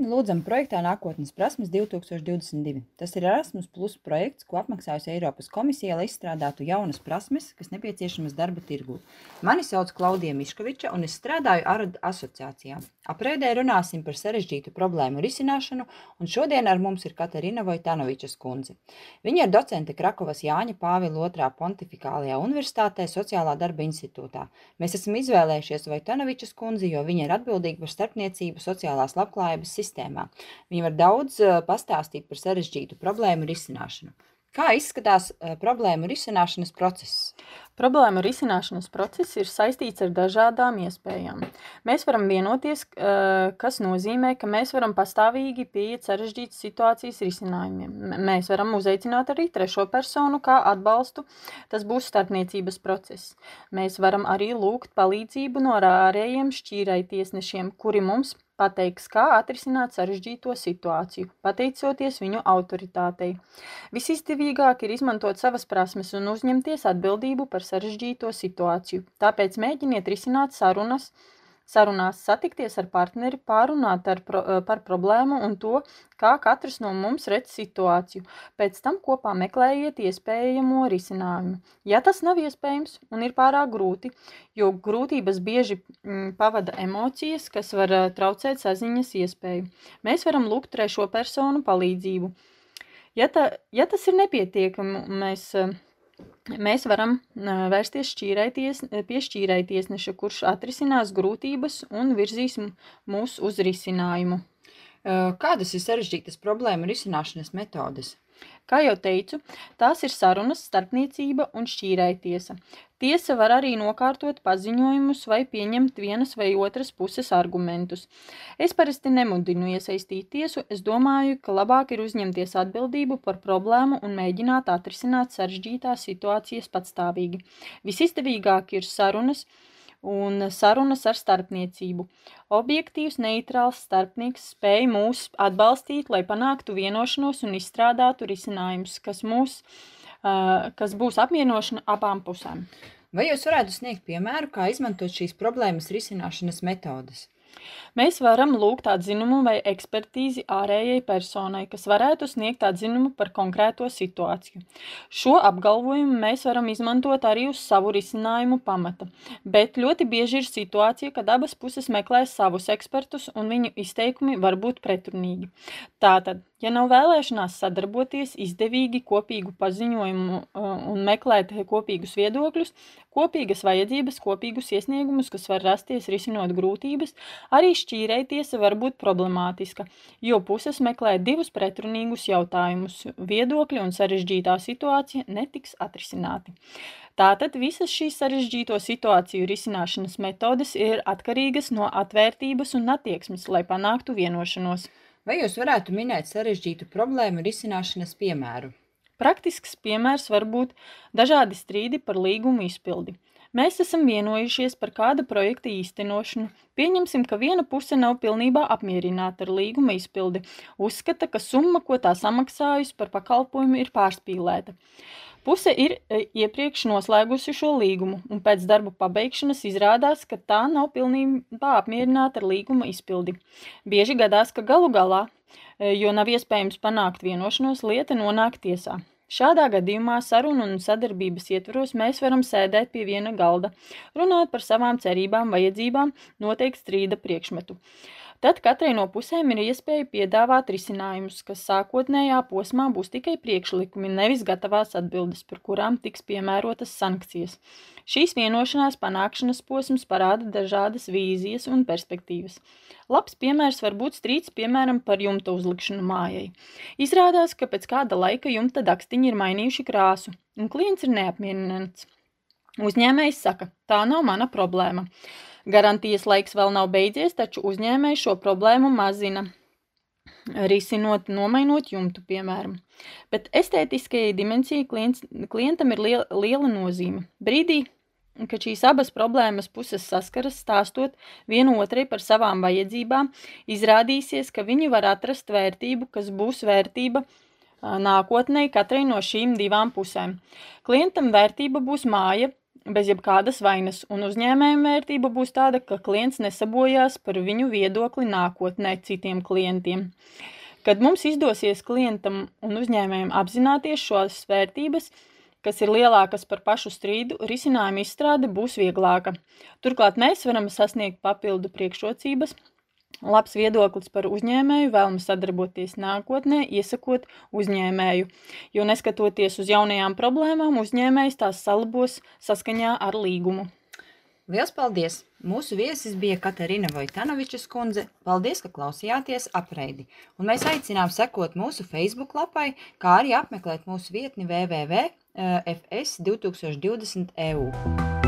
Laipni lūdzam projektā Nākotnes prasmes 2022. Tas ir Erasmus Plus projekts, ko apmaksājusi Eiropas komisija, lai izstrādātu jaunas prasmes, kas nepieciešamas darba tirgū. Mani sauc Klaudija Miškoviča un es strādāju ARAD asociācijā. Aprēdē runāsim par sarežģītu problēmu risināšanu, un šodien ar mums ir Katarina Vojtanovičas kundze. Viņa ir docente Krakovas Jāņa Pāvila II Pontifikālajā universitātē Sociālā darba institūtā. Mēs esam izvēlējušies Vojtanovičas kundzi, jo viņa ir atbildīga par starpniecību sociālās labklājības sistēmā. Viņa var daudz pastāstīt par sarežģītu problēmu risināšanu. Kā izskatās problēmu risināšanas process? Problēmu risināšanas process ir saistīts ar dažādām iespējām. Mēs varam vienoties, kas nozīmē, ka mēs varam pastāvīgi pieiet sarežģītas situācijas risinājumiem. Mēs varam uzaicināt arī trešo personu kā atbalstu, tas būs starpniecības process. Mēs varam arī lūgt palīdzību no ārējiem šķīrējtiesnešiem, kuri mums pateiks, kā atrisināt sarežģīto situāciju, pateicoties viņu autoritātei. Visizdevīgāk ir izmantot savas prasmes un uzņemties atbildību par sarežģīto situāciju. Tāpēc mēģiniet risināt sarunās, satikties ar partneri, pārunāt par problēmu un to, kā katrs no mums redz situāciju. Pēc tam kopā meklējiet iespējamo risinājumu. Ja tas nav iespējams un ir pārāk grūti, jo grūtības bieži pavada emocijas, kas var traucēt saziņas iespēju, mēs varam lūgt trešo personu palīdzību. Ja tas ir nepietiekami, mēs varam vērsties pie šķīrējtiesneša, kurš atrisinās grūtības un virzīs mūs uz risinājumu. Kādas ir sarežģītas problēmu risināšanas metodes? Kā jau teicu, tās ir sarunas, starpniecība un šķīrējtiesa. Tiesa var arī nokārtot paziņojumus vai pieņemt vienas vai otras puses argumentus. Es parasti nemudinu iesaistīt tiesu, es domāju, ka labāk ir uzņemties atbildību par problēmu un mēģināt atrisināt sarežģītās situācijas patstāvīgi. Visizdevīgāk ir sarunas ar starpniecību. Objektīvs, neitrāls starpnieks spēj mūs atbalstīt, lai panāktu vienošanos un izstrādātu risinājumus, kas būs apmierinošana abām pusēm. Vai jūs varētu sniegt piemēru, kā izmantot šīs problēmas risināšanas metodes? Mēs varam lūgt atzinumu vai ekspertīzi ārējai personai, kas varētu sniegt atzinumu par konkrēto situāciju. Šo apgalvojumu mēs varam izmantot arī uz savu risinājumu pamata, bet ļoti bieži ir situācija, kad abas puses meklē savus ekspertus un viņu izteikumi var būt pretrunīgi. Tātad, ja nav vēlēšanās sadarboties, izdevīgi kopīgu paziņojumu un meklēt kopīgus viedokļus, kopīgas vajadzības, kopīgus iesniegumus, kas var rasties risinot grūtības, arī šķīrējtiesa var būt problemātiska, jo puses meklē divus pretrunīgus jautājumus, viedokļi un sarežģītā situācija netiks atrisināti. Tātad visas šīs sarežģīto situāciju risināšanas metodes ir atkarīgas no atvērtības un attieksmes, lai panāktu vienošanos. Vai jūs varētu minēt sarežģītu problēmu risināšanas piemēru? Praktisks piemērs var būt dažādi strīdi par līgumu izpildi. Mēs esam vienojušies par kāda projekta īstenošanu. Pieņemsim, ka viena puse nav pilnībā apmierināta ar līguma izpildi. Uzskata, ka summa, ko tā samaksājusi par pakalpojumu, ir pārspīlēta. Puse ir iepriekš noslēgusi šo līgumu, un pēc darbu pabeigšanas izrādās, ka tā nav pilnībā apmierināta ar līguma izpildi. Bieži gadās, ka galu galā, jo nav iespējams panākt vienošanos, lieta nonāk tiesā. Šādā gadījumā sarunu un sadarbības ietvaros mēs varam sēdēt pie viena galda, runāt par savām cerībām, vajadzībām, noteikt strīda priekšmetu. Tad katrai no pusēm ir iespēja piedāvāt risinājumus, kas sākotnējā posmā būs tikai priekšlikumi, nevis gatavās atbildes, par kurām tiks piemērotas sankcijas. Šīs vienošanās panākšanas posms parāda dažādas vīzijas un perspektīvas. Labs piemērs var būt strīds, piemēram, par jumta uzlikšanu mājai. Izrādās, ka pēc kāda laika jumta dakstiņi ir mainījuši krāsu, un klients ir neapmierināts. Uzņēmējs saka, tā nav mana problēma. Garantijas laiks vēl nav beidzies, taču uzņēmējs šo problēmu mazina, risinot, nomainot jumtu, piemēram. Bet estētiskajai dimensijai klientam ir liela nozīme. Brīdī, kad šīs abas problēmas puses saskaras, stāstot vienu otrai par savām vajadzībām, izrādīsies, ka viņi var atrast vērtību, kas būs vērtība nākotnē katrai no šīm divām pusēm. Klientam vērtība būs māja, bez jebkādas vainas, un uzņēmējiem vērtība būs tāda, ka klients nesabojās par viņu viedokli nākotnē citiem klientiem. Kad mums izdosies klientam un uzņēmējiem apzināties šos vērtības, kas ir lielākas par pašu strīdu, risinājuma izstrāde būs vieglāka. Turklāt mēs varam sasniegt papildu priekšrocības, labs viedoklis par uzņēmēju, vēlams sadarboties nākotnē, iesakot uzņēmēju, jo neskatoties uz jaunajām problēmām, uzņēmējs tās salabos saskaņā ar līgumu. Liels paldies! Mūsu viesis bija Katarina Vojtanovičas kundze. Paldies, ka klausījāties Apreidi. Un mēs aicinām sekot mūsu Facebook lapai, kā arī apmeklēt mūsu vietni www.fs2020.eu.